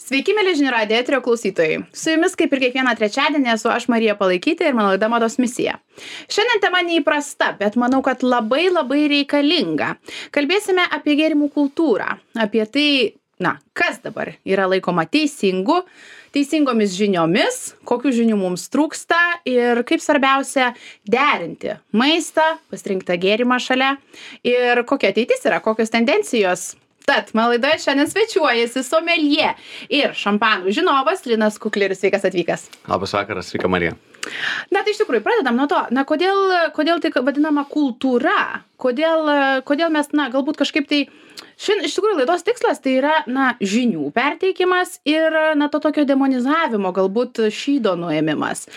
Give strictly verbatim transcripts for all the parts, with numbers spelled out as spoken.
Sveiki, mėly žinių radijo eterio klausytojai. Su jumis kaip ir kiekvieną trečiadienį esu aš Marija Palaikytė ir mano laida Mados misija. Šiandien tema neįprasta, bet manau, kad labai labai reikalinga. Kalbėsime apie gėrimų kultūrą, apie tai, na, kas dabar yra laikoma teisingu, teisingomis žiniomis, kokių žinių mums trūksta ir kaip svarbiausia derinti maistą, pasirinktą gėrimą šalia ir kokia ateitis yra, kokios tendencijos. Tad, mano laidoje šiandien svečiuojasi someljė ir šampanų žinovas Linas Kukleris. Sveikas atvykęs. Labas vakaras, sveika Marija. Na, tai iš tikrųjų, pradedam nuo to, na, kodėl, kodėl tai vadinama kultūra, kodėl, kodėl mes, na, galbūt kažkaip tai, šiandien iš tikrųjų laidos tikslas tai yra, na, žinių perteikimas ir, na, to tokio demonizavimo, galbūt šydo nuėmimas.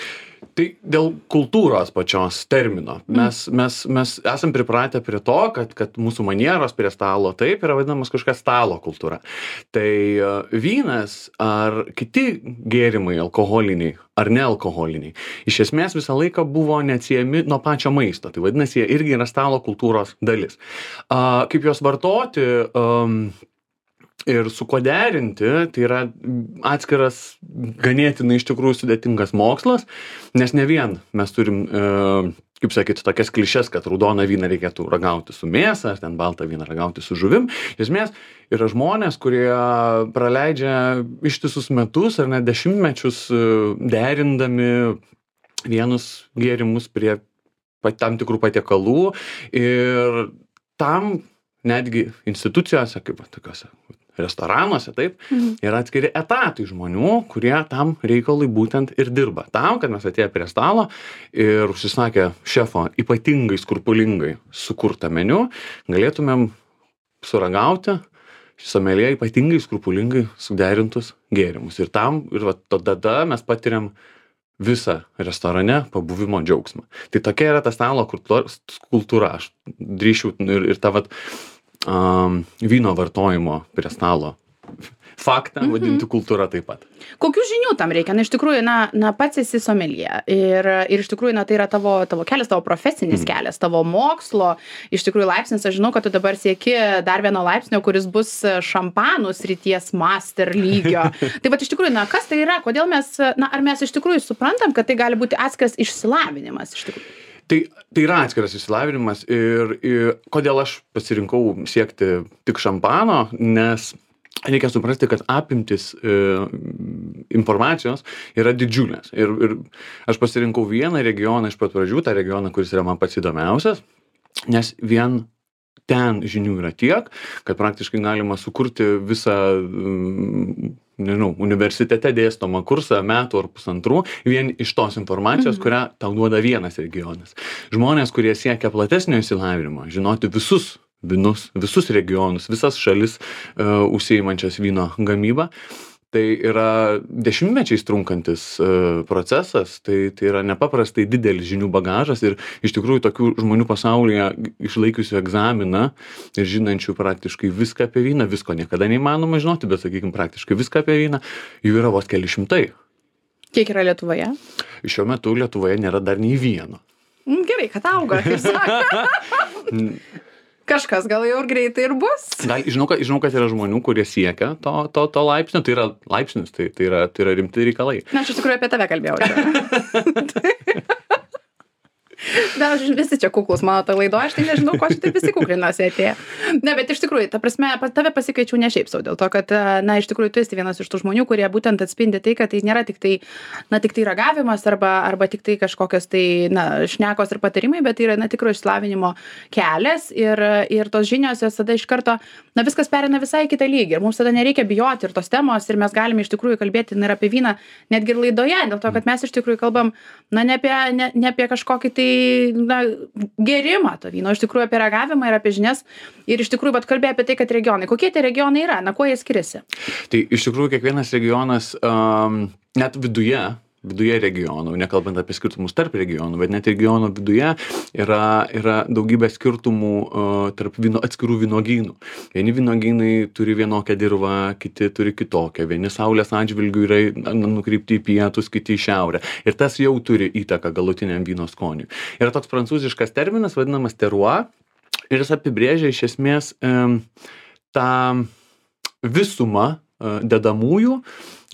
Tai dėl kultūros pačios termino. Mes, mm. mes, mes esam pripratę prie to, kad, kad mūsų manieros prie stalo taip yra vadinamas kažkas stalo kultūra. Tai uh, vynas ar kiti gėrimai alkoholiniai ar nealkoholiniai iš esmės visą laiką buvo neatsiejami nuo pačio maisto. Tai vadinasi, jie irgi yra stalo kultūros dalis. Uh, kaip juos vartoti... Um, Ir su kuo derinti, tai yra atskiras ganėtinai iš tikrųjų sudėtingas mokslas, nes ne vien mes turim, e, kaip sakyti, tokias klišes, kad raudoną vyną reikėtų ragauti su mėsa, ar ten baltą vyną ragauti su žuvim. Iš esmės yra žmonės, kurie praleidžia ištisus metus ar net dešimtmečius derindami vienus gėrimus prie tam tikrų patiekalų ir tam netgi institucijose, kaip tokiose restoranuose, taip, mhm. yra atskiri etatai žmonių, kurie tam reikalui būtent ir dirba. Tam, kad mes atėję prie stalo ir užsisakę šefo ypatingai skrupulingai sukurtą meniu, galėtumėm suragauti someljė ypatingai skrupulingai suderintus gėrimus. Ir tam, ir va, tada mes patiriam visą restorane pabuvimo džiaugsmą. Tai tokia yra ta stalo kultūra. Aš drįšiu ir, ir ta vat, Um, vyno vartojimo prie stalo faktą mm-hmm. vadinti kultūra taip pat. Kokių žinių tam reikia? Na, iš tikrųjų, na, na pats esi someljė ir, ir iš tikrųjų, na, tai yra tavo, tavo kelias, tavo profesinis mm. kelias, tavo mokslo, iš tikrųjų laipsnis, aš žinau, kad tu dabar sieki dar vieno laipsnio, kuris bus šampanų srities master lygio. Tai va, iš tikrųjų, na, kas tai yra? Kodėl mes, na, ar mes iš tikrųjų suprantam, kad tai gali būti atskiras išsilavinimas iš tikrųjų? Tai, tai yra atskiras išsilavinimas ir, ir kodėl aš pasirinkau siekti tik šampano, nes reikia suprasti, kad apimtis e, informacijos yra didžiulės. Ir, ir aš pasirinkau vieną regioną iš pat pradžių, tą regioną, kuris yra man pats įdomiausias, nes vien ten žinių yra tiek, kad praktiškai galima sukurti visą, nežinau, universitete dėstomą kursą metų ar pusantrų vien iš tos informacijos, mhm. kurią tau duoda vienas regionas. Žmonės, kurie siekia platesnio išsilavinimo, žinoti visus vynus, visus regionus, visas šalis uh, užsiimančias vyno gamybą, tai yra dešimtmečiais trunkantis uh, procesas, tai, tai yra nepaprastai didelis žinių bagažas ir iš tikrųjų tokių žmonių pasaulyje išlaikiusių egzaminą ir žinančių praktiškai viską apie vyną, visko niekada neįmanoma žinoti, bet, sakykime, praktiškai viską apie vyną, jų yra vos keli šimtai. Kiek yra Lietuvoje? Šiuo metu Lietuvoje nėra dar nei vieno. Gerai, kad auga, kaip sako. Kažkas gal jau ir greitai ir bus. Gal, žinau, kad, žinau, kad yra žmonių, kurie siekia to, to, to laipsnio, tai yra laipsnis, tai, tai, yra, tai yra rimti reikalai. Na, aš iš tikrųjų apie tave kalbėjau. Na, visi čia kuklus mano tą laido, aš tai nežinau, ko aš taip visi kuklinuosi atėję. Ne, bet iš tikrųjų, ta prasme, tave pasikviečiau ne šiaip sau, dėl to, kad, na, iš tikrųjų, tu esi vienas iš tų žmonių, kurie būtent atspindi tai, kad tai nėra tik tai, na, tik tai ragavimas arba, arba tik tai kažkokios tai, na, šnekos ir patarimai, bet tai yra, na, tikro išsilavinimo kelias ir, ir tos žinios jos tada iš karto, na, viskas perina visai kitą lygį ir mums tada nereikia bijoti ir tos temos ir mes galime iš tikrųjų kalbėti ir apie vyną netgi ir laidoje, dėl to, kad mes iš tikrųjų kalbam, na, ne apie, ne, ne apie kažkokį tai, na, gerimą to vyno, iš tikrųjų apie ragavimą ir apie žinias ir iš tikrųjų, bet kalbėjo apie tai, kad regionai, kokie tie regionai yra, na, kuo jie skiriasi? Tai iš tikrųjų kiekvienas regionas, um, net viduje, viduje regionų, nekalbant apie skirtumus tarp regionų, bet net regionų viduje yra, yra daugybė skirtumų uh, tarp vyno, atskirų vynogynų. Vieni vynogynai turi vienokią dirvą, kiti turi kitokią. Vieni saulės atžvilgių yra nukreipti į pietus, kiti į šiaurę. Ir tas jau turi įtaką galutiniam vyno skoniui. Yra toks prancūziškas terminas, vadinamas terroir, ir jis apibrėžia iš esmės um, tą visumą uh, dedamųjų,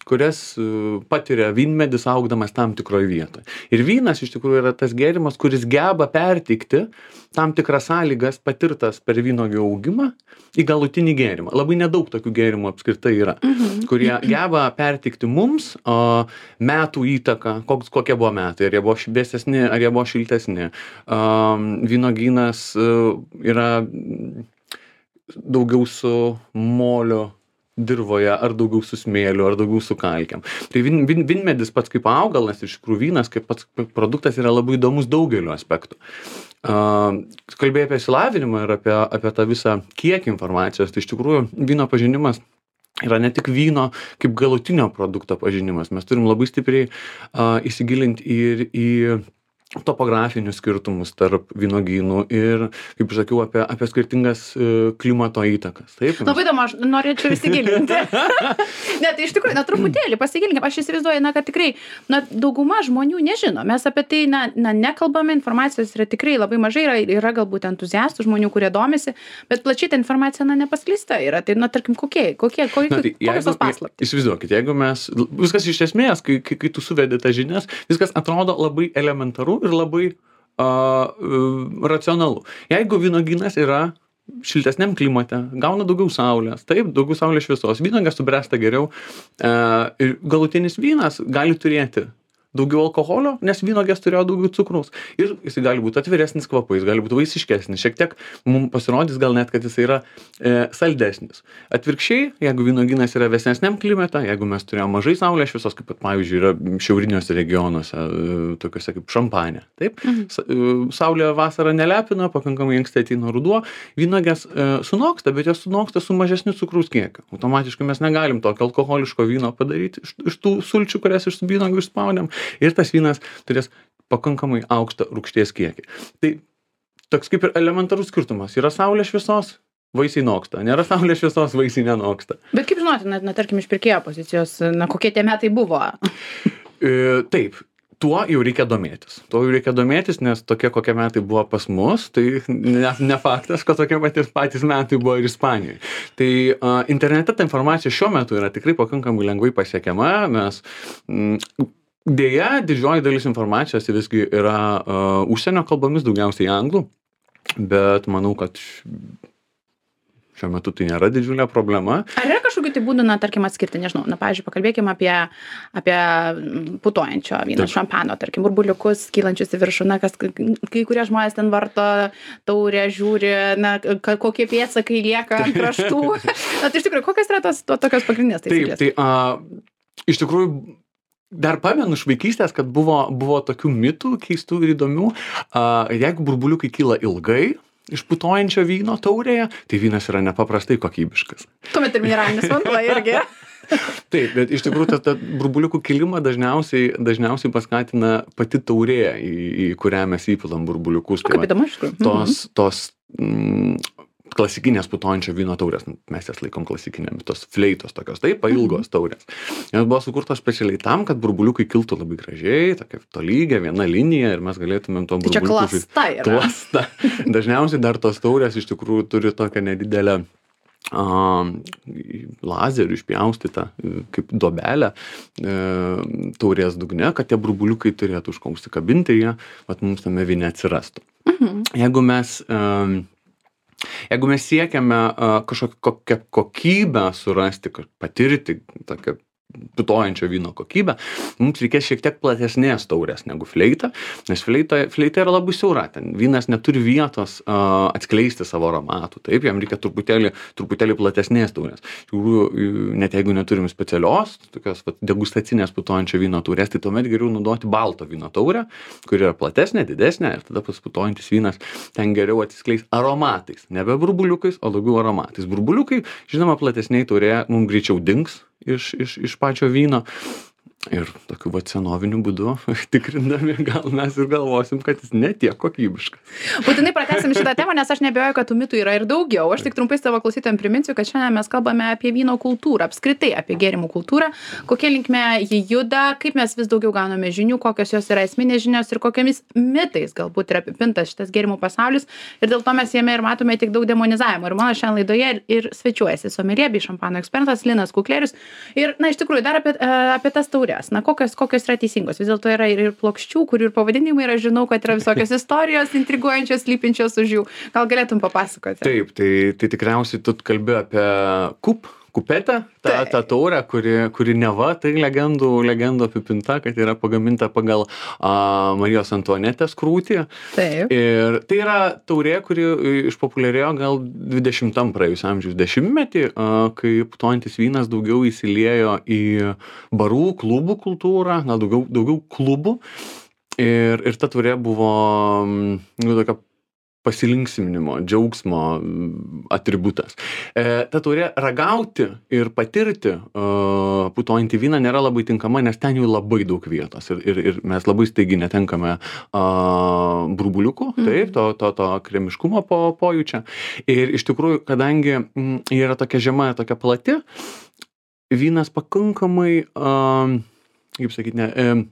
kurias uh, patiria vynmedis augdamas tam tikroje vietoje. Ir vynas iš tikrųjų yra tas gėrimas, kuris geba perteikti tam tikras sąlygas patirtas per vynuogių augimą į galutinį gėrimą. Labai nedaug tokių gėrimų apskritai yra, mhm. kurie geba perteikti mums o, metų įtaką, koks, kokie buvo metai, ar jie buvo vėsesni, ar jie buvo šiltesni. Um, vynuogynas uh, yra daugiau su molio dirvoje, ar daugiau su smėliu, ar daugiau su kalkiam. Tai vin, vin, vinmedis pats kaip augalas, iš tikrųjų vynas kaip pats produktas yra labai įdomus daugeliu aspektų. Uh, kalbėjai apie išsilavinimą ir apie, apie tą visą kiekį informacijos, tai iš tikrųjų vyno pažinimas yra ne tik vyno kaip galutinio produkto pažinimas. Mes turim labai stipriai uh, įsigilinti ir į topografinius skirtumus tarp vynogynų ir, kaip sakiau, apie, apie skirtingas uh, klimato įtakas. Taip, labai įdomu, aš norėčiau įsigilinti. Ne, tai iš tikrųjų, na, truputėlį pasigilinkim. Aš įsivaizduoju, na, kad tikrai, na, dauguma žmonių nežino. Mes apie tai, na, na nekalbame, informacijos yra tikrai labai mažai, yra, yra galbūt entuziastų žmonių, kurie domisi, bet plačiai ta informacija, na, nepaskleista yra. Tai, na, tarkim, kokie, kokie, kokie, na, tai, kokios tos paslaptys? Įsivaizduokit, jeigu mes, viskas iš esmės, kai, kai, kai tu suvedi tas žinias, viskas atrodo labai elementaru ir labai uh, uh, racionalu. Jeigu vynuogynas yra šiltesniam klimate, gauna daugiau saulės, taip, daugiau saulės šviesos, vynuogės subręsta geriau uh, ir galutinis vynas gali turėti daugiau alkoholio, nes vynuogės turėjo daugiau cukraus. Ir jis gali būti atviresnis kvapais, gali būti vaisiškesnis. Šiek tiek mums pasirodys gal net, kad jis yra e, saldesnis. Atvirkščiai, jeigu vynuogynas yra vėsesniam klimate, jeigu mes turėjome mažai saulės šviesos, kaip pat, pavyzdžiui, yra šiauriniuose regionuose, e, tokiuose kaip Šampanė. Taip? Mhm. Saulė vasarą nelepina, pakankamai anksti ateina ruduo, vynuogės e, sunoksta, bet jos sunoksta su mažesniu cukraus kiekiu. Automatiškai mes negalim tokio alkoholiško vyno padaryti iš, iš tų sulčių, kurias iš vynuogių išspaudėm. Ir tas vynas turės pakankamai aukštą rūgšties kiekį. Tai toks kaip ir elementarus skirtumas. Yra saulės šviesos, vaisiai noksta. Nėra saulės šviesos, vaisiai nenoksta. Bet kaip žinoti, na, na tarkim, iš pirkėjo pozicijos, na, kokie tie metai buvo? e, taip. Tuo jau reikia domėtis. Tuo jau reikia domėtis, nes tokie kokie metai buvo pas mus, tai ne, ne faktas, kad tokie patys, patys metai buvo ir Ispanijoje. Tai uh, internete ta informacija šiuo metu yra tikrai pakankamai lengvai pasiekiama. Mes mm, Deja, didžioji dalis informacijos visgi yra uh, užsienio kalbomis, daugiausiai anglų, bet manau, kad šiuo metu tai nėra didžiulė problema. Ar yra kažkokių tai būdų, na, tarkim, atskirti, nežinau, na, pavyzdžiui, pakalbėkime apie, apie putojančio vyno, šampano, tarkim, burbuliukus, kylančius į viršų, na, kas, kai kurie žmonės ten varto taurę, žiūri, na, kokie pėdsakai lieka ant kraštų. Na, tai iš tikrųjų, kokios yra tos to, tokios pagrindinės taisyklės? Taip, tai uh, iš tikrųjų, dar pamenu iš vaikystės, kad buvo, buvo tokių mitų keistų ir įdomių. Uh, jeigu burbuliukai kyla ilgai iš putojančio vyno taurėje, tai vynas yra nepaprastai kokybiškas. Tuomet ir mineralinis vanduo irgi. Taip, bet iš tikrųjų tą, tą burbuliukų kilimą dažniausiai, dažniausiai paskatina pati taurė, į, į kurią mes įpilam burbuliukus. O kaip įdomu, iš tikrųjų. Tos, tos mm, klasikinės putojančio vyno taurės, mes jas laikom klasikinėmis, tos fleitos tokios, taip, pailgos taurės. Jos buvo sukurtos specialiai tam, kad burbuliukai kiltų labai gražiai, tokia tolygia, viena linija ir mes galėtumėm to burbuliukų. Tai čia klasta yra. Klasta. Dažniausiai dar tos taurės iš tikrųjų turi tokią nedidelę uh, lazerių išpjaustytą kaip dobelę uh, taurės dugne, kad tie burbuliukai turėtų užsikabinti, jie vat mums tame vyne atsirastų. Mhm. Jeigu mes um, Jeigu mes siekiame uh, kažkokią kokybę surasti, patirti tokią putojančio vyno kokybę, mums reikės šiek tiek platesnės taurės negu fleita, nes fleita, fleita yra labai siaura, ten vynas neturi vietos uh, atskleisti savo aromatų, taip, jam reikia truputėlį, truputėlį platesnės taurės. Iš tikrųjų, net jeigu neturim specialios, tokios vat, degustacinės putojančio vyno taurės, tai tuomet geriau naudoti balto vyno taurę, kuri yra platesnė, didesnė ir tada pas putojantis vynas ten geriau atsiskleis aromatais, nebe burbuliukais, o daugiau aromatais. Burbuliukai, žinoma, platesniai taurė mums greičiau dings iš, iš, iš pačio vyno. Ir tokiu vat senoviniu būdu tikrindami, gal mes ir galvosim, kad jis ne tiek kokybiškas. Būtinai pratęsim šitą temą, nes aš neabejoju, kad tų mitų yra ir daugiau. Aš tik trumpai savo klausytojams priminsiu, kad šiandien mes kalbame apie vyno kultūrą, apskritai apie gėrimų kultūrą, kokia linkme ji juda, kaip mes vis daugiau gauname žinių, kokios jos yra esminės žinios ir kokiamis mitais galbūt yra apipintas šitas gėrimų pasaulis. Ir dėl to mes jame ir matome tik daug demonizavimo. Ir mano šiandien laidoje ir svečiuojasi someljė bei šampano ekspertas Linas Kukleris. Ir, na, iš tikrųjų, dar apie, apie tas taures. Na, kokios, kokios yra teisingos. Vis dėlto yra ir, ir plokščių, kurių ir pavadinimai yra, žinau, kad yra visokios istorijos intriguojančios, slypinčios už jų. Gal galėtum papasakoti? Taip, tai, tai tikriausiai tu kalbi apie kup, kupetę, tą, tą taurę, kuri, kuri neva, tai legendų, legendų apipinta, kad yra pagaminta pagal a, Marijos Antuanetės krūtį. Taip. Ir tai yra taurė, kuri išpopuliarėjo gal dvidešimtam praėjusio amžiaus dešimtmetį, a, kai putojantis vynas daugiau įsiliejo į barų, klubų kultūrą, na, daugiau, daugiau klubų. Ir, ir ta taurė buvo, nu, tokia pasilinksminimo, džiaugsmo atributas. E, ta taurė ragauti ir patirti uh, putojantį vyną nėra labai tinkama, nes ten jau labai daug vietos ir, ir, ir mes labai staigiai netenkame uh, burbuliukų, mm. taip, to, to, to kremiškumo po, pojūčio. Ir iš tikrųjų, kadangi mm, yra tokia žema, tokia plati, vynas pakankamai, uh, kaip sakyti, ne, uh,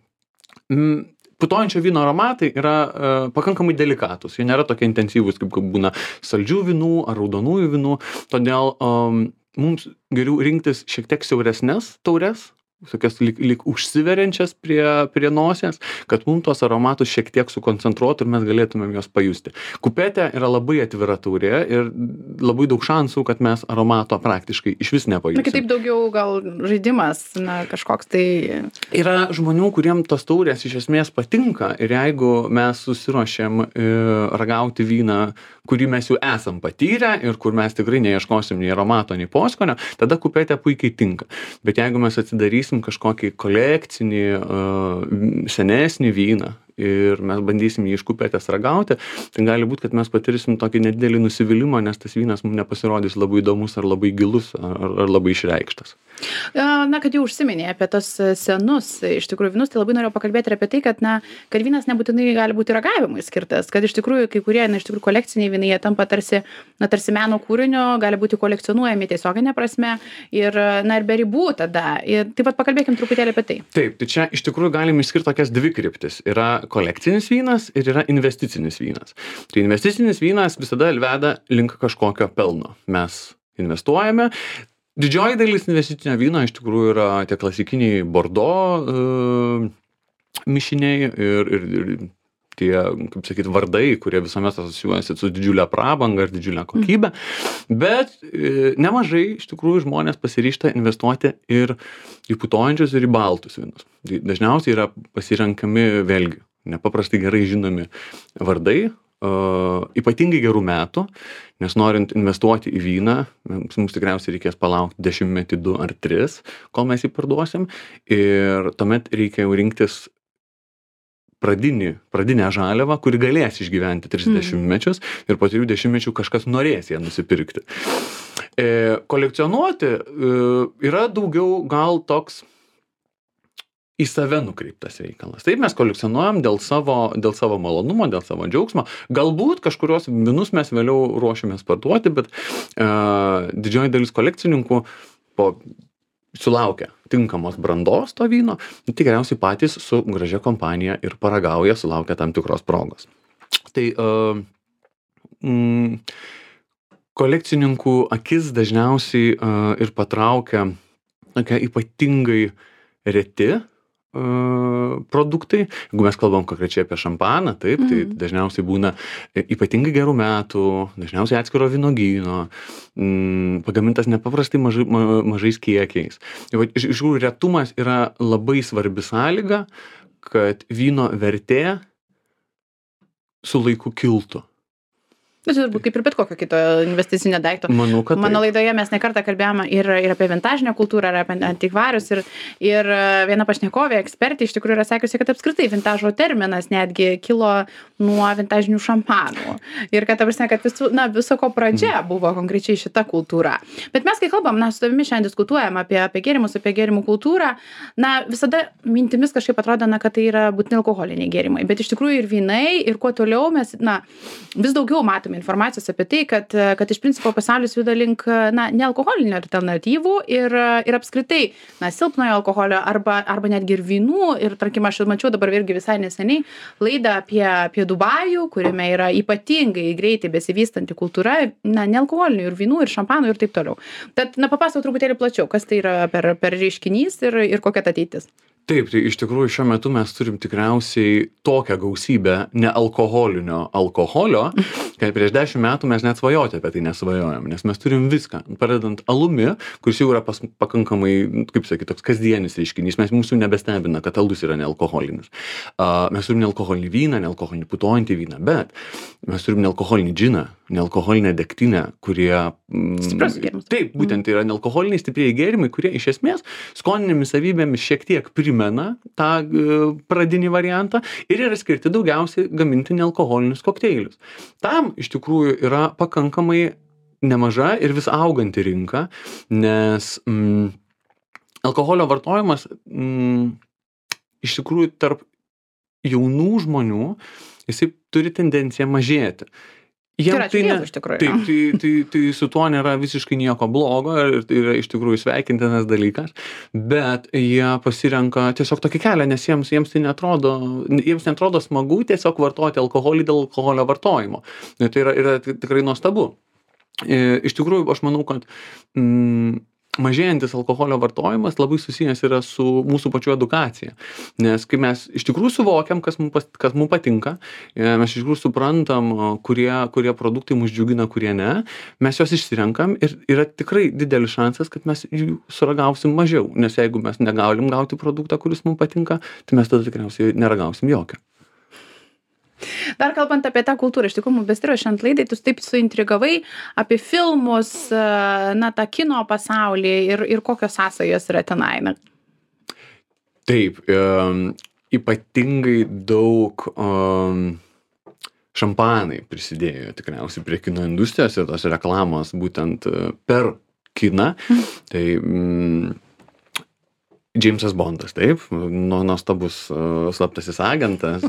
mm, putojančio vyno aromatai yra e, pakankamai delikatus. Jie nėra tokie intensyvūs, kaip būna saldžių vynų ar raudonųjų vynų. Todėl um, mums geriau rinktis šiek tiek siauresnes taures, tokias lyg, lyg užsiveriančias prie, prie nosies, kad mums tos aromatus šiek tiek sukoncentruotų ir mes galėtumėm juos pajusti. Kupetė yra labai atvira taurė ir labai daug šansų, kad mes aromato praktiškai iš vis nepajusim. Na, kitaip daugiau gal žaidimas, na, kažkoks tai... Yra žmonių, kuriem tos taurės iš esmės patinka ir jeigu mes susiruošėm e, ragauti vyną, kurį mes jau esam patyrę ir kur mes tikrai neieškosim nei aromato, nei poskonio, tada kupetė puikiai tinka. Bet jeigu mes atsidarysim kažkokį kolekcinį, uh, senesnį vyną ir mes bandysim jį iš kupetės ragauti, tai gali būti, kad mes patirsim tokį nedidelį nusivylimą, nes tas vynas mums nepasirodys labai įdomus ar labai gilus ar, ar labai išreikštas. Na, kad jau užsiminė apie tos senus, iš tikrųjų, vynus, tai labai norėjau pakalbėti ir apie tai, kad, na, kad vynas nebūtinai gali būti ragavimui skirtas, kad iš tikrųjų kai kurie, na, iš tikrųjų kolekciniai vynai, jie tampa tarsi, na, tarsi meno kūrinio, gali būti kolekcionuojami tiesioginė prasme ir, na, ir be ribų tada. Ir taip pat pakalbėkim truputėlį apie tai. Taip, tai čia iš tikrųjų galim išskirti tokias dvi kryptis. Yra kolekcinis vynas ir yra investicinis vynas. Tai investicinis vynas visada veda link kažkokio pelno. Mes investuojame. Didžioji dalis investicinio vyno iš tikrųjų yra tie klasikiniai Bordeaux uh, mišiniai ir, ir, ir tie, kaip sakyt, vardai, kurie visuomet asocijuojasi su didžiulė prabanga ir didžiulė kokybė. Mm. Bet e, nemažai iš tikrųjų žmonės pasiryžta investuoti ir į putojančius, ir į baltus vynus. Dažniausiai yra pasirenkami vėlgi nepaprastai gerai žinomi vardai, uh, ypatingai gerų metų, nes norint investuoti į vyną, mums, mums tikriausiai reikės palaukti dešimtmetį, du ar tris, kol mes jį parduosim. Ir tuomet reikia jau rinktis pradinį, pradinę žaliavą, kuri galės išgyventi tris dešimtmečius mm. ir po trijų dešimtmečių kažkas norės ją nusipirkti. E, kolekcionuoti e, yra daugiau gal toks į save nukreiptas reikalas. Taip mes kolekcionuojam dėl savo, dėl savo malonumo, dėl savo džiaugsmo. Galbūt kažkurios vynus mes vėliau ruošiamės parduoti, bet e, didžioji dalis kolekcininkų po sulaukia tinkamos brandos to vyno, tikriausiai patys su gražia kompanija ir paragauja, sulaukia tam tikros progos. Tai uh, mm, kolekcininkų akis dažniausiai uh, ir patraukia tokie ypatingai reti uh, produktai. Jeigu mes kalbam konkrečiai apie šampaną, taip, mm. tai dažniausiai būna ypatingai gerų metų, dažniausiai atskiro vynogyno, mm, pagamintas nepaprastai mažai, ma, mažais kiekiais. Iš tikrųjų, retumas yra labai svarbi sąlyga, kad vyno vertė su laiku kiltų. Nu, tai turbūt kaip ir bet kokio kito investicinio daikto. Manau, kad Mano taip. laidoje mes ne kartą kalbėjome ir, ir apie vintažinę kultūrą, ir apie antikvarius. Ir, ir viena pašnekovė, ekspertė, iš tikrųjų yra sakiusi, kad apskritai vintažo terminas netgi kilo nuo vintažinių šampanų. Ir kad, ta prasme, kad visų, na, viso ko pradžia buvo konkrečiai šita kultūra. Bet mes, kai kalbam, na, su tavimi šiandien diskutuojam apie, apie gėrimus, apie gėrimų kultūrą, na, visada mintimis kažkaip atrodo, na, kad tai yra būtinai alkoholiniai gėrimai. Bet iš tikrųjų ir vynai, ir kuo toliau mes, na, vis daugiau matome informacijos apie tai, kad, kad iš principo pasaulis juda link, na, nealkoholinių alternatyvų ir, ir apskritai, na, silpnojo alkoholio arba, arba netgi ir vynų. Ir, tarkim, aš mačiau dabar irgi visai neseniai laidą apie, apie Dubajų, kuriame yra ypatingai greitai besivystanti kultūra, na, nealkoholinių ir vynų, ir šampanų ir taip toliau. Tad, na, papasakok truputėlį plačiau, kas tai yra per, per reiškinys ir, ir kokia ta ateitis. Taip, tai iš tikrųjų šiuo metu mes turim tikriausiai tokią gausybę nealkoholinio alkoholio, kad prieš dešimt metų mes net svajoti apie tai nesvajojom, nes mes turim viską, pradedant alumi, kuris jau yra pas, pakankamai, kaip sakyti, toks kasdienis reiškinys, mes mūsų nebestebina, kad alus yra nealkoholinis. Uh, mes turim nealkoholinį vyną, nealkoholinį putojantį vyną, bet mes turim nealkoholinį džiną, nealkoholinę degtinę, kurie... Mm, Stiprus gėrimas. Taip, būtent tai yra nealkoholiniai stiprieji gėrimai, kurie iš esmės skoninėmis savybėmis šiek tiek primena tą uh, pradinį variantą ir yra skirti daugiausiai gaminti nealkoholinius kokteilius. Tam iš tikrųjų yra pakankamai nemaža ir vis auganti rinka, nes mm, alkoholio vartojimas mm, iš tikrųjų tarp jaunų žmonių jisai turi tendenciją mažėti. Jiem tai ne, iš tikrųjų. Taip, tai, tai, tai su tuo nėra visiškai nieko blogo ir tai yra iš tikrųjų sveikintinas dalykas, bet jie pasirenka tiesiog tokį kelią, nes jiems, jiems tai netrodo, jiems netrodo smagu tiesiog vartoti alkoholį dėl alkoholio vartojimo. Ir tai yra, yra tikrai nuostabu. Iš tikrųjų, aš manau, kad mm, mažėjantis alkoholio vartojimas labai susijęs yra su mūsų pačių edukacija. Nes kai mes iš tikrųjų suvokiam, kas mums, kas mums patinka, mes iš tikrųjų suprantam, kurie, kurie produktai mus džiugina, kurie ne, mes juos išsirenkam ir yra tikrai didelis šansas, kad mes jų suragausim mažiau. Nes jeigu mes negalim gauti produktą, kuris mums patinka, tai mes tada tikriausiai neragausim jokio. Dar kalbant apie tą kultūrą, iš tikrųjų, besiruošiant laidai, tu taip suintrigavai apie filmus, na, tą kino pasaulį ir, ir kokios sąsajos yra tenai. Na. Taip, um, ypatingai daug um, šampanai prisidėjo tikriausiai prie kino industrijos ir tos reklamos būtent per kiną. Tai mm, Džeimsas Bondas, taip, nu, nuostabus uh, slaptasis agentas.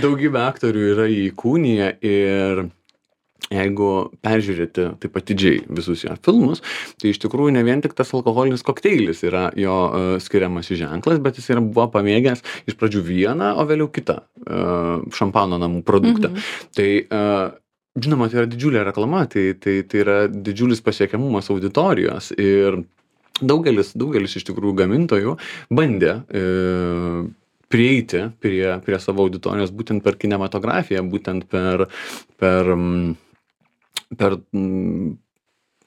Daugybė aktorių yra įkūniję ir jeigu peržiūrėti taip atidžiai visus jo filmus, tai iš tikrųjų ne vien tik tas alkoholinis kokteilis yra jo uh, skiriamas ženklas, bet jis yra buvo pamėgęs iš pradžių vieną, o vėliau kitą uh, šampano namų produktą. Mhm. Tai uh, žinoma, tai yra didžiulė reklama, tai, tai, tai yra didžiulis pasiekiamumas auditorijos ir Daugelis, daugelis iš tikrųjų gamintojų bandė e, prieiti prie, prie savo auditorijos būtent per kinematografiją, būtent per, per, per m,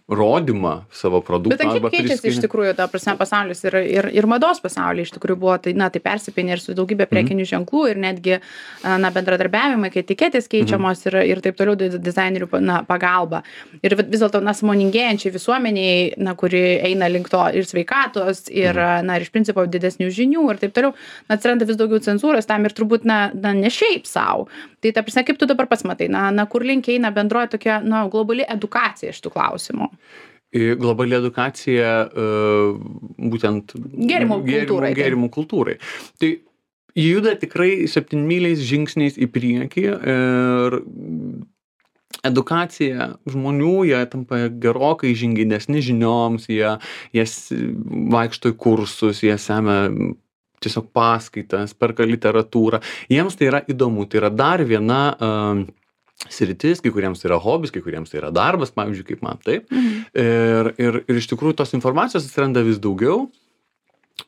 rodymą savo produkto. Bet kiek keičiasi priskini... iš tikrųjų, ta prasme, pasaulis ir, ir, ir mados pasaulyje iš tikrųjų buvo, tai, na, tai persipinė ir su daugybė prekinių mm. ženklų ir netgi, na, bendradarbiavimai, kai etiketės keičiamos mm. ir, ir taip toliau dizainerių, na, pagalba. Ir vis dėlto, na, sąmoningesčiai visuomeniai, na, kuri eina link to ir sveikatos, ir, mm. na, ir iš principo didesnių žinių ir taip toliau, na, atsiranda vis daugiau cenzūros tam ir turbūt, na, na ne šiaip savo. Tai, ta prasme, kaip tu dabar pats matai, na, na kur link eina bendroji tokia, na, globali edukacija šitų klausimų? Globali edukacija uh, būtent gėrimų kultūrai. Gėrimų kultūrai. Tai juda tikrai septynmyliais žingsniais į priekį ir edukacija žmonių, jie tampa gerokai žingeidesni žinioms, jie, jie vaikšto į kursus, jie semia tiesiog paskaitas, perka literatūrą. Jiems tai yra įdomu, tai yra dar viena uh, sritis, kai kuriems tai yra hobis, kai kuriems tai yra darbas, pavyzdžiui, kaip man, taip. Mhm. Ir, ir, ir iš tikrųjų tos informacijos atsiranda vis daugiau.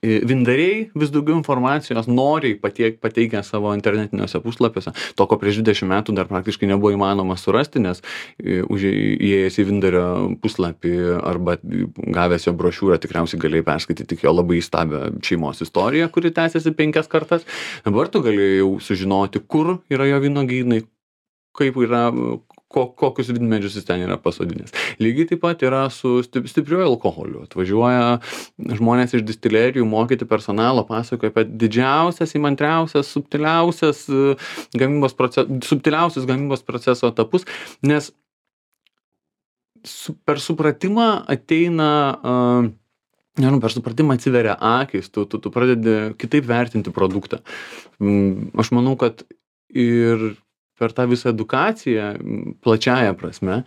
Vindariai vis daugiau informacijos noriai patiek, pateikia savo internetiniuose puslapiuose. To, ko prieš dvidešimt metų dar praktiškai nebuvo įmanoma surasti, nes už, įėjęs į Vindario puslapį arba gavęs jo brošiūrą tikriausiai galėjai perskaityti tik jo labai įstabią šeimos istoriją, kuri tęsiasi penkias kartas. Dabar tu galėjai jau sužinoti, kur yra jo vynuogynai, kaip yra, ko, kokius vynmedžius jis ten yra pasodinęs. Lygiai taip pat yra su stipriuoju alkoholiu. Atvažiuoja žmonės iš distilerijų mokyti personalo, pasakoja apie didžiausias, įmantriausias, subtiliausias gamybos proces, subtiliausius gamybos proceso etapus, nes su, per supratimą ateina, uh, nežinau, per supratimą atsiveria akys, tu, tu, tu pradedi kitaip vertinti produktą. Aš manau, kad ir per tą visą edukaciją, plačiąją prasme,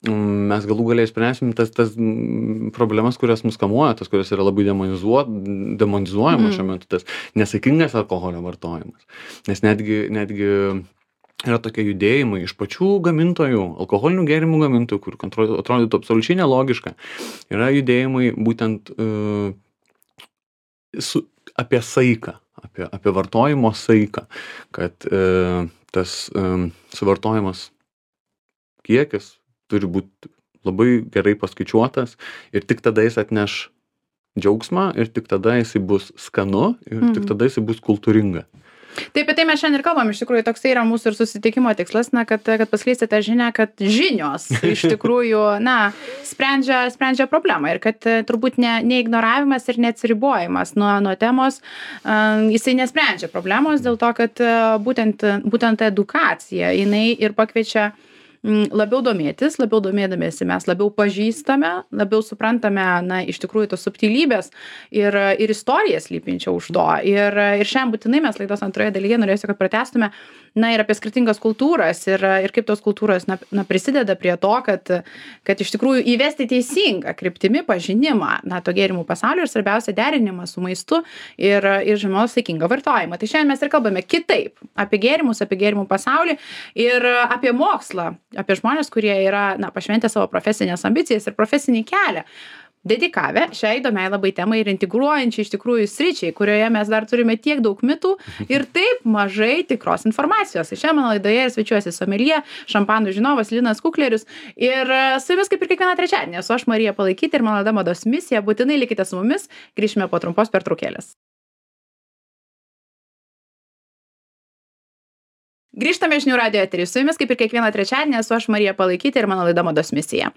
mes galų galiai spręsim tas, tas problemas, kurios mus kamuoja, tas, kurios yra labai demonizuojamos mm. šiuo metu, tas nesaikingas alkoholio vartojimas. Nes netgi, netgi yra tokie judėjimai iš pačių gamintojų, alkoholinių gėrimų gamintojų, kur atrodytų absoliučiai nelogiška. Yra judėjimai būtent uh, su, apie saiką, apie, apie vartojimo saiką, kad uh, tas um, suvartojimas kiekis turi būti labai gerai paskaičiuotas ir tik tada jis atneš džiaugsmą ir tik tada jisai bus skanu ir mm. tik tada jisai bus kultūringa. Taip, apie tai mes šiandien ir kalbam, iš tikrųjų toksai yra mūsų ir susitikimo tikslas, na, kad, kad paskleisti tą žinią, kad žinios iš tikrųjų, na, sprendžia, sprendžia problemą ir kad turbūt ne, ne ignoravimas ir neatsiribojimas nuo, nuo temos, uh, jisai nesprendžia problemos dėl to, kad uh, būtent, būtent edukacija, jinai ir pakviečia labiau domėtis, labiau domėdamėsi mes labiau pažįstame, labiau suprantame, na, iš tikrųjų tos subtilybės ir, ir istorijas slypinčią už to. Ir, ir šiandien būtinai mes laidos antroje dalyje norėsiu, kad pratęstume, na, ir apie skirtingas kultūras ir, ir kaip tos kultūros, na, na, prisideda prie to, kad, kad iš tikrųjų įvesti teisingą kryptimi pažinimą, na, to gėrimų pasaulio ir svarbiausia derinimą su maistu ir, ir žinoma, saikingą vartojimą. Tai šiandien mes ir kalbame kitaip apie gėrimus, apie gėrimų pasaulį ir apie mokslą, apie žmonės, kurie yra, na, pašventę savo profesinės ambicijas ir profesinį kelią, dedikavę šiai įdomiai labai temai ir integruojančiai iš tikrųjų sričiai, kurioje mes dar turime tiek daug mitų ir taip mažai tikros informacijos. Tai šiandien mano laidoje svečiuosi someljė, šampanų žinovas Linas Kuklerius ir su jumis kaip ir kiekvieną trečiadienį esu aš Marija Palaikytė ir mano laida Mados misija. Būtinai likite su mumis, grįšime po trumpos pertraukėlės. Grįžtame žinių radijo eterį. Su jumis kaip ir kiekvieną trečiadienį esu aš Marija Palaikytė ir mano laida Mados misija.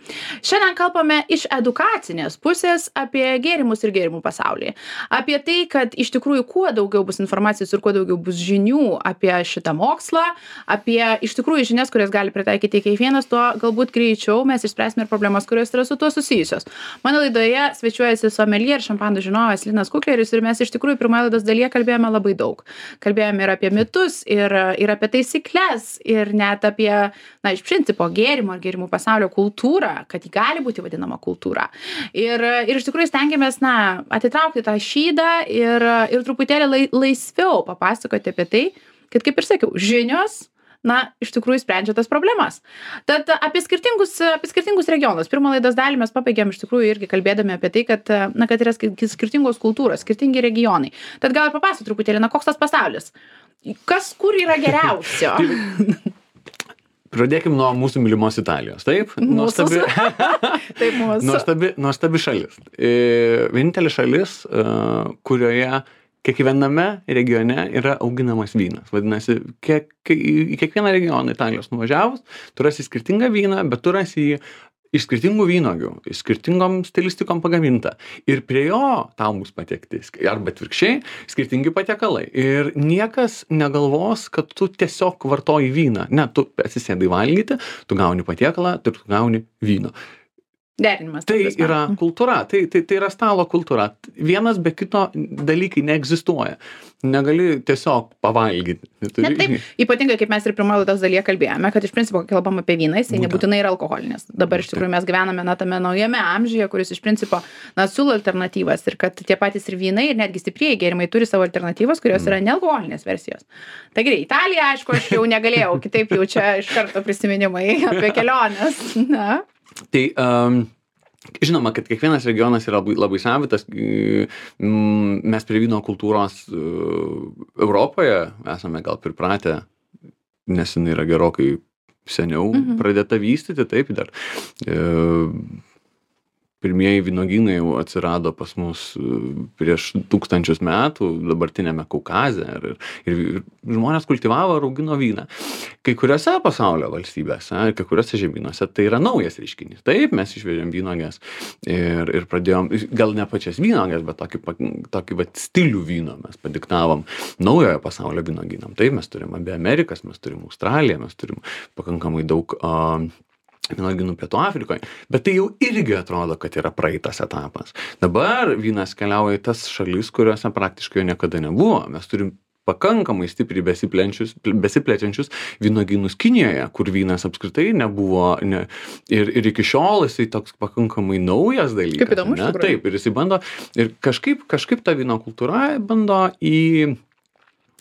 Šiandien kalbame iš edukacinės pusės apie gėrimus ir gėrimų pasaulį. Apie tai, kad iš tikrųjų kuo daugiau bus informacijos ir kuo daugiau bus žinių apie šitą mokslą, apie iš tikrųjų žinias, kurias gali pritaikyti kiekvienas, tuo galbūt greičiau mes išspręsime ir problemas, kurios yra su tuo susijusios. Mano laidoje svečiuojasi someljė ir šampanų žinovas Linas Kuklerius ir mes iš tikrųjų pirmoje laidos dalyje kalbėjome labai daug. Kalbėjome ir apie mitus, ir, ir apie tai taisyklės ir net apie, na, iš principo gėrimų ar gėrimų pasaulio kultūrą, kad ji gali būti vadinama kultūra. Ir, ir iš tikrųjų stengiamės, na, atitraukti tą šydą ir, ir truputėlį lai, laisviau papasakoti apie tai, kad, kaip ir sakiau, žinios, na, iš tikrųjų sprendžia tas problemas. Tad apie skirtingus, apie skirtingus regionus. Pirmą laidos dalį mes pabaigėm iš tikrųjų irgi kalbėdami apie tai, kad, na, kad yra skirtingos kultūros, skirtingi regionai. Tad gal papasakok truputėlį, na, koks tas pasaulis? Kas kur yra geriausio? Pradėkim nuo mūsų mylimos Italijos, taip? Nuostabi, taip mūsų. nuostabi, nuostabi šalis. Vienintelė šalis, kurioje kiekviename regione yra auginamas vynas. Vadinasi, kiek, į kiekvieną regioną Italijos nuvažiavus, tu rasi skirtingą vyną, bet tu rasi jį iš skirtingų vynogių, iš skirtingom stilistikom pagaminta. Ir prie jo tau bus patiekti, arba atvirkščiai, skirtingi patiekalai. Ir niekas negalvos, kad tu tiesiog vartoji vyną. Ne, tu atsisėdai valgyti, tu gauni patiekalą, tu gauni vyno. Derinimas. Tai yra kultūra, tai, tai, tai yra stalo kultūra. Vienas be kito dalykai neegzistuoja. Negali tiesiog pavalgyti. Ne, taip, ypatingai, kaip mes ir pirmoje laidos dalyje kalbėjome, kad iš principo, kai kalbam apie vyną, jisai nebūtinai yra alkoholinis. Dabar iš tikrųjų mes gyvename, na, tame naujame amžiuje, kuris iš principo, na, siūlo alternatyvas ir kad tie patys ir vynai ir netgi stiprieji gėrimai turi savo alternatyvas, kurios yra nealkoholinės versijos. Tai gerai, Italija, aišku, aš jau negalėjau, kitaip jau čia iš karto prisiminimai apie keliones. Na. Tai um, žinoma, kad kiekvienas regionas yra labai, labai savitas. Mes prie vyno kultūros uh, Europoje esame gal pripratę, nes jinai yra gerokai seniau mm-hmm. pradėta vystyti, taip dar. Uh, pirmieji vynuogynai jau atsirado pas mus prieš tūkstančius metų dabartiniame Kaukaze ir, ir, ir žmonės kultivavo ir augino vyną. Kai kuriuose pasaulio valstybėse, kai kuriuose žemynuose tai yra naujas reiškinys. Taip, mes išvežėm vynuoges ir, ir pradėjom, gal ne pačias vynuoges, bet tokį, tokį vat, stilių vyno mes padiktavom naujojo pasaulio vynuogynam. Taip, mes turim abi Amerikas, mes turim Australiją, mes turim pakankamai daug uh, vynuogynų Pietų Afrikoje, bet tai jau irgi atrodo, kad yra praeitas etapas. Dabar vynas keliauja į tas šalis, kuriuose praktiškai jo niekada nebuvo. Mes turim pakankamai stipriai besiplečiančius vynuogynus Kinijoje, kur vynas apskritai nebuvo, ne, ir, ir iki šiol jisai toks pakankamai naujas dalykas. Kaip įdomu, iš tikrųjų. Taip, ir jisai bando, ir kažkaip, kažkaip ta vyno kultūra bando į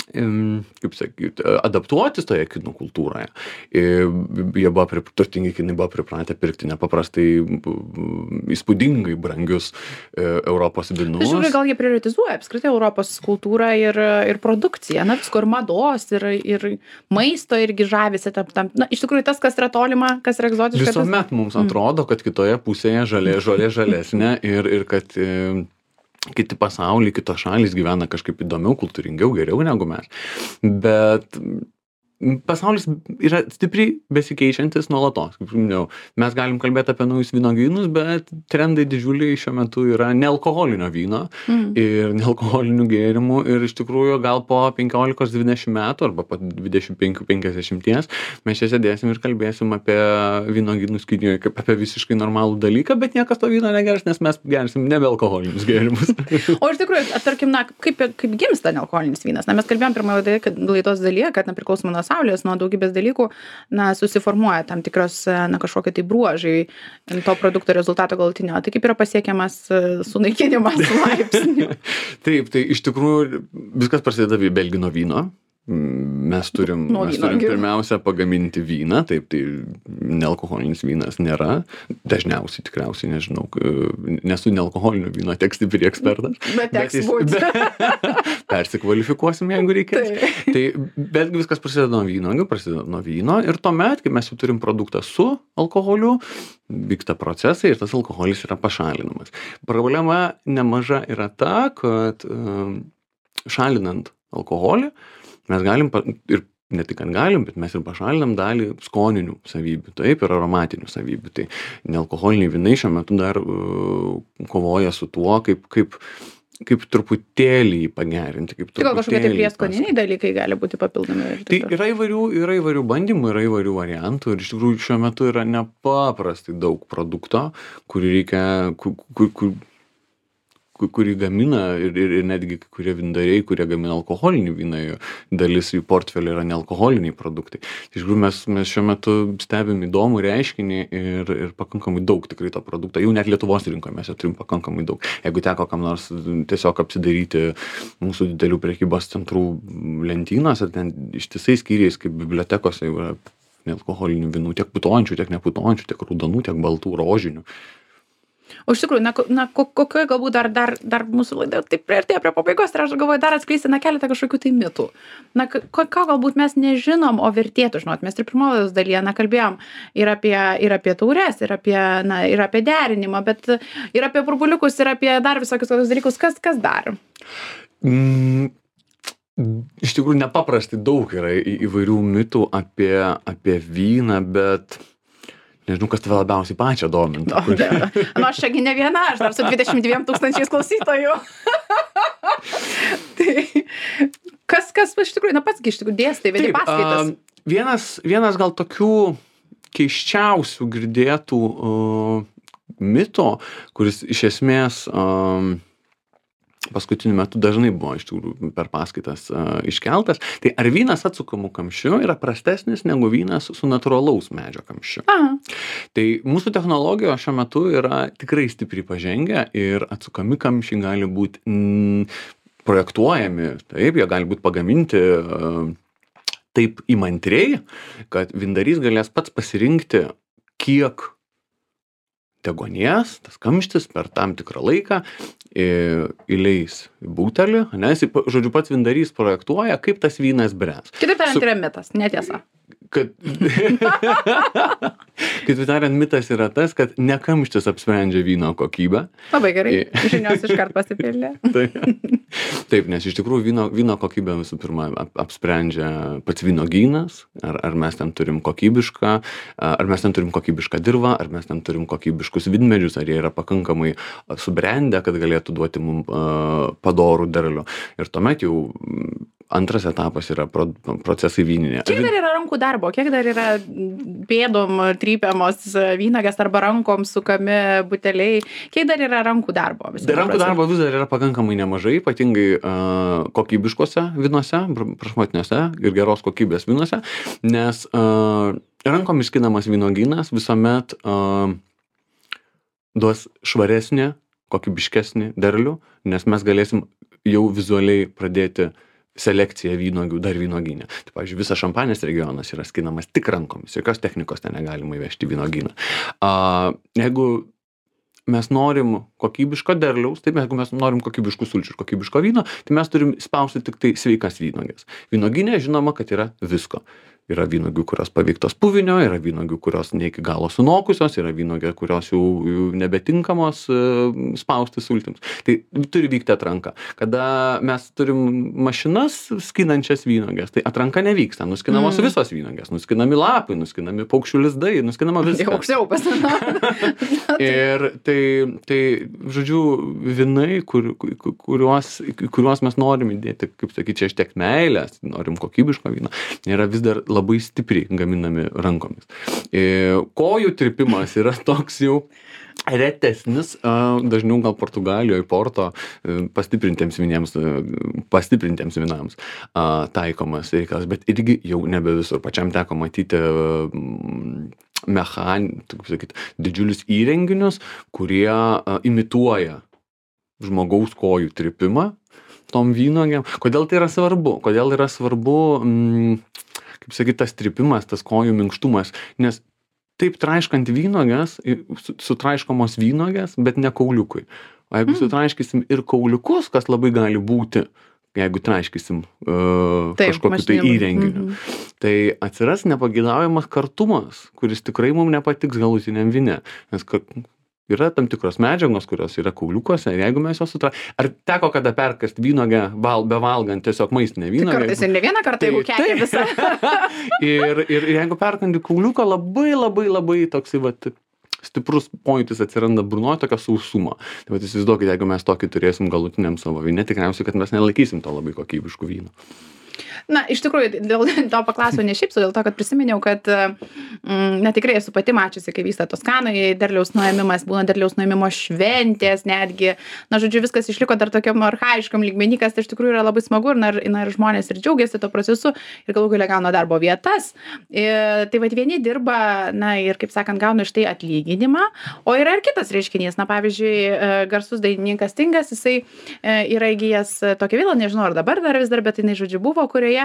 kaip sakyti, adaptuotis toje kinų kultūroje. Jie buvo, turtingi kinai buvo pripratę pirkti nepaprastai įspūdingai brangius Europos vynus. Žiūrėjau, gal jie prioritizuoja apskritai Europos kultūrą ir, ir produkciją, na visko ir mados, ir, ir maisto irgi žavisi tam, tam. Na, iš tikrųjų, tas, kas yra tolima, kas yra egzotiška. Visuomet tas... mums atrodo, kad kitoje pusėje žalė, žolė žalesnė ir, ir kad kiti pasauliai, kitos šalys gyvena kažkaip įdomiau, kultūringiau, geriau negu mes. Bet pasaulis yra stipriai besikeičiantis nuolatos. Kaip minėjau, mes galim kalbėti apie naujus vynuogynus, bet trendai didžiuliai šiuo metu yra nealkoholinio vyno mm. ir nealkoholinių gėrimų. Ir iš tikrųjų gal po penkiolikos dvidešimt metų arba po dvidešimt penkių penkiasdešimt mes čia sėdėsim ir kalbėsim apie vynuogynus Kinijoje kaip apie visiškai normalų dalyką, bet niekas to vyno negers, nes mes gersim nebealkoholinius gėrimus. O iš tikrųjų, tarkim, na, kaip, kaip gimsta nealkoholinis vynas? Na, mes kalbėjom pirmoje laidos dalyje, kad nepriklausomai nuo saulės, nuo daugybės dalykų, na, susiformuoja tam tikros, na, kažkokie tai bruožai to produkto rezultato galutinio. Tai kaip yra pasiekiamas sunaikinimas laipsnių? Taip, tai iš tikrųjų viskas prasideda belgino vyno. Mes turim, mes turim pirmiausia pagaminti vyną, taip, tai nealkoholinis vynas nėra, dažniausiai tikriausiai, nežinau, nesu nealkoholinio vyno tiek stipriai ekspertas. Bet teks būti. Persikvalifikuosim, jeigu reikės. Tai, tai bet viskas prasideda nuo vyno, prasideda nuo vyno ir tuomet, kai mes jau turim produktą su alkoholiu, vyksta procesai ir tas alkoholis yra pašalinamas. Problema nemaža yra ta, kad um, šalinant alkoholį, mes galim, ir ne tik, kad galim, bet mes ir pašalinam dalį skoninių savybių, taip, ir aromatinių savybių. Tai nealkoholiniai vynai šiuo metu dar uh, kovoja su tuo, kaip, kaip, kaip truputėlį pagerinti. Kaip tai gal kažkokie tai prieskoniniai dalykai gali būti papildomi? Tai yra įvairių, yra įvairių bandymų, yra įvairių variantų ir iš tikrųjų šiuo metu yra nepaprastai daug produkto, kurį reikia, kur, kur, kur kurį gamina ir, ir, ir netgi kurie vyndariai, kurie gamina alkoholinį vyną, dalis jų portfelio yra nealkoholiniai produktai. Iš tikrųjų mes, mes šiuo metu stebim įdomų reiškinį ir, ir pakankamai daug tikrai to produkto. Jau net Lietuvos rinkoje mes jo turim pakankamai daug. Jeigu teko kam nors tiesiog apsidaryti mūsų didelių prekybos centrų lentynose, ten ištisai skyriais kaip bibliotekose yra nealkoholinių vynų, tiek putojančių, tiek neputojančių, tiek raudonų, tiek baltų, rožinių. O iš tikrųjų, na, na kokioje galbūt dar, dar, dar mūsų laida taip priartėjo prie pabaigos, ir aš galvoju dar atskleisti, na, keletą kažkokių tai mitų. Na, ko, ko galbūt mes nežinom, o vertėtų žinot. Mes ir pirmojos dalyje, na, kalbėjom ir apie, ir apie taures, ir apie, na, ir apie derinimą, bet ir apie burbuliukus, ir apie dar visokius tokius dalykus. Kas, kas dar? Mm. Iš tikrųjų, nepaprastai daug yra įvairių mitų apie, apie vyną, bet nežinau, kas tave labiausiai pačią domintų. O, nu, aš čiagi ne viena, aš dar su dvidešimt dviem tūkstančiais klausytojų. Tai kas, kas iš tikrųjų, na pats iš tikrųjų dėstai, vedi paskaitas. Uh, vienas, vienas gal tokių keiščiausių girdėtų uh, mito, kuris iš esmės uh, paskutiniu metu dažnai buvo iš tikrųjų per paskaitas uh, iškeltas, tai ar vynas atsukamų kamščiu yra prastesnis negu vynas su natūralaus medžio kamščiu. Aha. Tai mūsų technologijos šiuo metu yra tikrai stipriai pažengę ir atsukami kamščiai gali būti mm, projektuojami, taip, jie gali būti pagaminti uh, taip įmantriai, kad vyndarys galės pats pasirinkti, kiek deguonies, tas kamštis per tam tikrą laiką įleis į butelį, nes, žodžiu, pats vyndarys projektuoja, kaip tas vynas bręs. Kitaip tariant, Su... yra mitas, netiesa. kad kitaip tariant, mitas yra tas, kad ne kamštis apsprendžia vyno kokybę. Labai gerai, žinios iškart pasipildė. Taip, taip, nes iš tikrųjų vyno, vyno kokybę visų pirma ap, apsprendžia pats vynogynas, ar, ar mes ten turim kokybišką, ar mes ten turim kokybišką dirvą, ar mes ten turim kokybiškus vynmedžius, ar jie yra pakankamai subrendę, kad galėtų duoti mums uh, padorų derlių. Ir tuomet jau antras etapas yra pro, procesai vyninė. Kiek dar yra rankų darbo? Kiek dar yra pėdom trypiamos vynagės arba rankom sukami buteliai? Kiek dar yra rankų darbo? Dar rankų darbo vis dar yra pakankamai nemažai, ypatingai uh, kokybiškose vynuose, prašmatniuose ir geros kokybės vynuose, nes uh, rankom išskinamas vynogynas visuomet uh, duos švaresnį, kokybiškesnį derlių, nes mes galėsim jau vizualiai pradėti selekcija vynogių dar vynogyne. Tai, pavyzdžiui, visas Šampanės regionas yra skinamas tik rankomis, jokios technikos ten negalima įvežti vynogyną. Uh, jeigu mes norim kokybiško derliaus, tai jeigu mes norim kokybiškų sulčių ir kokybiško vyno, tai mes turim spausti tik tai sveikas vynogės. Vynogyne žinoma, kad yra visko. Yra vynogių, kurios paveiktos puvinio, yra vynogių, kurios ne iki galo sunokusios, yra vynogių, kurios jau, jau nebetinkamos uh, spausti sultims. Tai turi vykti atranka. Kada mes turim mašinas skinančias vynogės, tai atranka nevyksta. Nuskinamos mm. visos vynogės, nuskinami lapai, nuskinami paukščių lizdai, nuskinama viskas. Jau aukščiau pasidaro. Ir tai, tai, žodžiu, vynai, kur, kuriuos, kuriuos mes norim įdėti, kaip sakyti, čia ištiek meilės, norim kokybiško vyno, yra vis dar labai stipriai gaminami rankomis. E, kojų trypimas yra toks jau retesnis, dažniau gal Portugalijoje, Porto pastiprintiems vynėms, pastiprintiems vynams taikomas reikalas, bet irgi jau nebe visur. Pačiam teko matyti mechan, kaip sakyti, didžiulius įrenginius, kurie imituoja žmogaus kojų trypimą tom vynogiam. Kodėl tai yra svarbu? Kodėl yra svarbu mm, kaip sakyti, tas trypimas, tas kojų minkštumas, nes taip traiškant vynogės, sutraiškomos vynogės, bet ne kauliukui. O jeigu mm. sutraiškysim ir kauliukus, kas labai gali būti, jeigu traiškysim uh, taip, kažkokiu tai įrenginiu, mm-hmm. tai atsiras nepageidavimas kartumas, kuris tikrai mums nepatiks galutiniam vyne. Nes yra tam tikros medžiagos, kurios yra kauliukuose, ir jeigu mes jos sutra... Ar teko kada perkast vynogę val, bevalgant tiesiog maistinę vynogę? Tai kartais ir ne vieną kartą, tai, jeigu kekė visą. ir, ir, ir jeigu perkandi kauliuką, labai, labai, labai toksai, vat, stiprus pojūtis atsiranda burnoje, tokia sausuma. Tai vat, įsivaizduokit, jeigu mes tokį turėsim galutiniam savo vyne, tikriausiai, kad mes nelaikysim to labai kokybiškų vynų. Na, iš tikrųjų, dėl to paklausiau ne šiaip, dėl to, kad prisiminiau, kad, mm, na, tikrai esu pati mačiusi, kai vyksta Toskanoje derliaus nuėmimas, būna derliaus nuėmimo šventės netgi. Na, žodžiu, viskas išliko dar tokiam archaiškam lygmenį, kas tai iš tikrųjų yra labai smagu ir, na, ir, na, ir žmonės ir džiaugiasi to procesu ir galų galia gauna darbo vietas. Ir, tai vad vieni dirba, na, ir, kaip sakant, gauna iš tai atlyginimą, o yra ir kitas reiškinys. Na, pavyzdžiui, garsus dainininkas Stingas, jisai yra įgijęs tokią vilą, nežinau, ar dabar dar vis dar, bet jinai, žodžiu, buvo, kurioje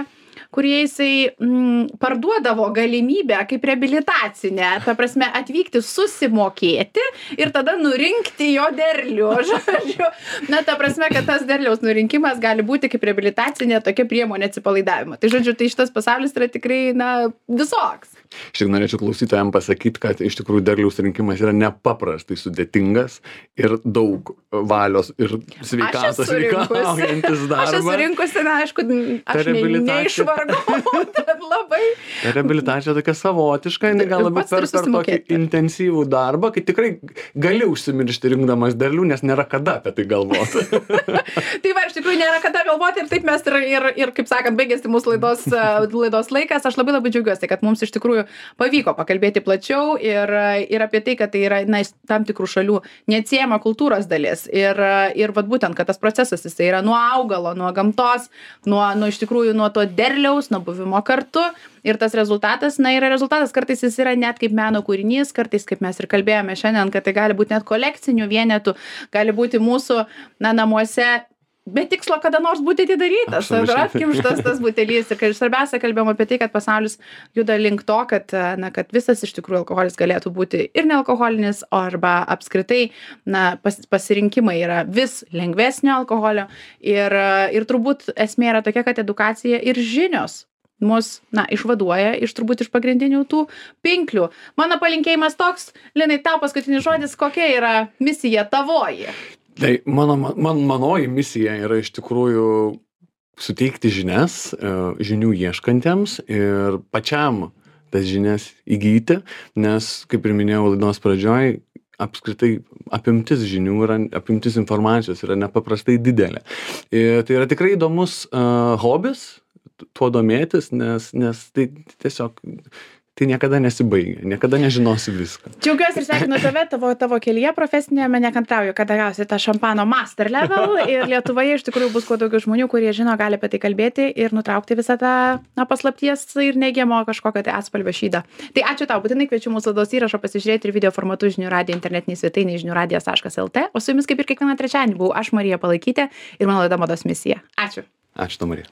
kurie jisai mm, parduodavo galimybę kaip reabilitacinę, ta prasme, atvykti susimokėti ir tada nurinkti jo derlių. Žodžiu, na, ta prasme, kad tas derliaus nurinkimas gali būti kaip reabilitacinė tokia priemonė atsipalaidavimo. Tai žodžiu, tai šitas pasaulis yra tikrai, na, visoks. Aš tik norėčiau klausytojams pasakyti, kad iš tikrųjų derliaus rinkimas yra nepaprastai sudėtingas ir daug valios ir sveikatos reikalaujantis darbas. Aš esu rinkusi, na, aišku, aš ne, neišvargau, bet labai. Ta reabilitacija tokia savotiška, jinai gal labiau per, per tokį intensyvų darbą, kai tikrai gali užsimiršti rinkdamas derlių, nes nėra kada apie tai galvoti. Tai va, iš tikrųjų nėra kada galvoti ir taip mes ir, ir, ir kaip sakant, baigėsi mūsų laidos, laidos laikas. Aš labai labai džiaugiuosi, kad mums iš tikrųjų pavyko pakalbėti plačiau ir, ir apie tai, kad tai yra, na, tam tikrų šalių neatsiejama kultūros dalis. Ir, ir vat būtent, kad tas procesas jis yra nuo augalo, nuo gamtos, nuo, nuo iš tikrųjų nuo to derliaus, nuo buvimo kartu. Ir tas rezultatas, na, yra rezultatas, kartais jis yra net kaip meno kūrinys, kartais, kaip mes ir kalbėjome šiandien, kad tai gali būti net kolekcinių vienetų, gali būti mūsų, na, namuose be tikslo kada nors būti atidarytas, ar atkimštas tas butelys. Ir kad svarbiausia kalbėjom apie tai, kad pasaulis juda link to, kad, na, kad visas iš tikrųjų alkoholis galėtų būti ir nealkoholinis, arba apskritai, na, pas, pasirinkimai yra vis lengvesnio alkoholio. Ir, ir turbūt esmė yra tokia, kad edukacija ir žinios mus, na, išvaduoja iš turbūt iš pagrindinių tų pinklių. Mano palinkėjimas toks, Linai, tau paskutinis žodis, kokia yra misija tavoji? Tai mano, man, manoji misija yra iš tikrųjų suteikti žinias, žinių ieškantiems ir pačiam tas žinias įgyti, nes, kaip ir minėjau laidos pradžioj, apskritai apimtis žinių yra, apimtis informacijos yra nepaprastai didelė. Ir tai yra tikrai įdomus uh, hobis, tuo domėtis, nes, nes tai tiesiog tai niekada nesibaigia, niekada nežinosi viską. Džiaugiuosi ir sveikinu tave, tavo, tavo kelyje profesinėme, nekantrauju, kada gausi tą šampano master level ir Lietuvoje iš tikrųjų bus kuo daugiau žmonių, kurie žino, gali apie tai kalbėti ir nutraukti visą tą na, paslapties ir neigiamo kažkokio tai atspalvio šydą. Tai ačiū tau, būtinai kviečiu mūsų laidos įrašą pasižiūrėti ir video formatu žinių radijo internetinį svetainį žinių radijas taškas lt, o su jumis kaip ir kiekvieną trečiadienį buvau aš, Marija Palaikytė ir mano laida Mados misija. Ačiū. Ačiū tau, Marija.